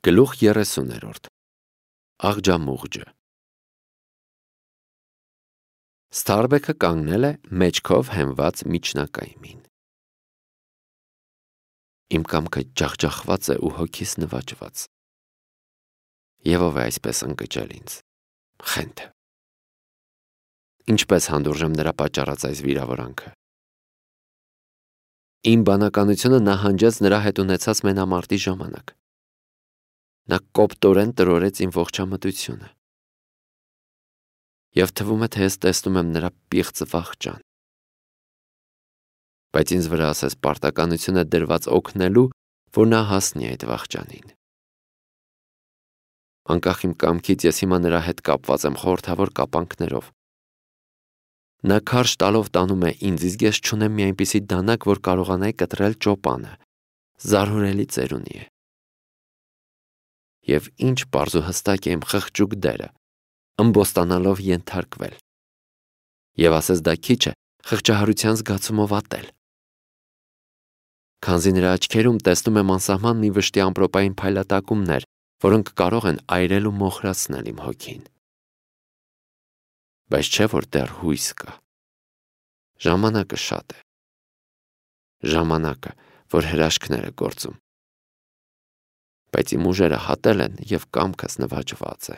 Գլուխ 30-րդ Աղջամուղջը Ստարբեքը կանգնել է մեջքով հենված միջնակայմին։ Իմ կամքը ջախջախված է ու հոգիս նվաճված։ Եվ ով է այսպես ընկճել ինձ, խենթը։ Ինչպես հանդուրժեմ նրա պատճառած այս վիրավորանքը։ Իմ բանականությունը նահանջեց նրա հետ ունեցած մենամարտի ժամանակ։ Նա կոպտորեն տրորեց իմ ողջամտությունը։ Եվ թվում է, թե ես տեսնում եմ նրա պիղծ վախճան։ Բայց ինձ վրա ասես պարտականություն է դրված օգնելու, որ նա հասնի այդ վախճանին։ Անկախ իմ կամքից ես հիմա նրա հետ կապված եմ խորհրդավոր կապանքներով։ Նա քարշ տալով տանում է ինձ, իսկ ես չունեմ մի այնպիսի դանակ, որ կարողանայի կտրել ճոպանը։ Զարհուրելի ծերունի է։ Եվ ինչ պարզ ու հստակ է իմ խղճուկ դերը, ըմբոստանալով ենթարկվել։ Եվ ասես դա քիչ է խղճահարության զգացումով ատել։ Քանզի նրա աչքերում տեսնում եմ անսահման մի վշտի ամպրոպային փայլատակումներ, որոնք կարող են այրել ու մոխրացնել իմ հոգին։ Բայց չէ որ դեռ հույս կա։ Ժամանակը շատ է։ Ժամանակը, որ հրաշքներ է գործում։ Բայց իմ ուժերը հատել են և կամքս նվաճված է։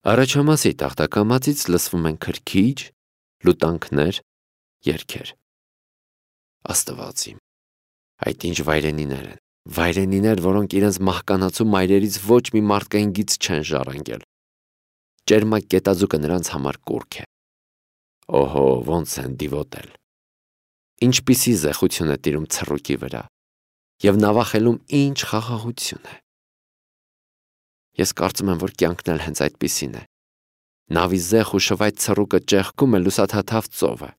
Առաջամասի տախտակամածից լսվում են քրքիջ, լուտանքներ, երգեր։ Աստված իմ, այդ ինչ վայրենիներ են, վայրենիներ, որոնք իրենց մահկանացու մայրերից ոչ մի մարդկային գիծ չեն ժառանգել։ Ճերմակ կետաձուկը նրանց համար կուռք է։ Օհո, ոնց են դիվոտել։ Ինչպիսի զեխություն է տիրում ցռուկի վրա։ Եվ նավախելում ինչ խաղաղություն է։ Ես կարծում եմ, որ կյանքն էլ հենց այդպիսին է։ Նավի զեխ ու շվայտ ցռուկը ճեղքում է լուսաթաթավ ծովը։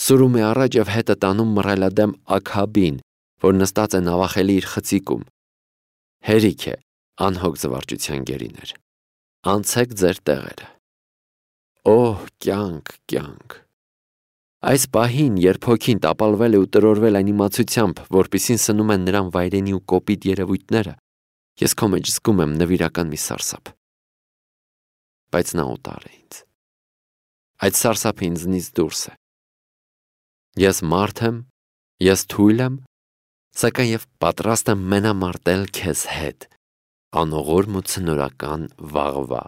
Սուրում է առաջ և հետը տանում մռայլադեմ աքաբին, որ նստած է նավախելի իր խցիկում։ Հերիք է, անհոգ զվարճության գերիներ։ Անցեք ձեր տեղերը։ Օհ, կյանք, կյանք։ Այս պահին, երբ հոգին տապալվել է ու տրորվել այն իմացությամբ, որպիսին սնում են նրան վայրենի ու կոպիտ երևույթները, ես քո մեջ զգում եմ նվիրական մի սարսափ։ Բայց նա օտար է ինձ։ Այդ սարսափը ինձնից դուրս է։ Ես մարդ եմ, ես թույլ եմ, սակայն և պատրաստ եմ մենամարտել քեզ հետ, անողորմ ու ցնորական վաղվա։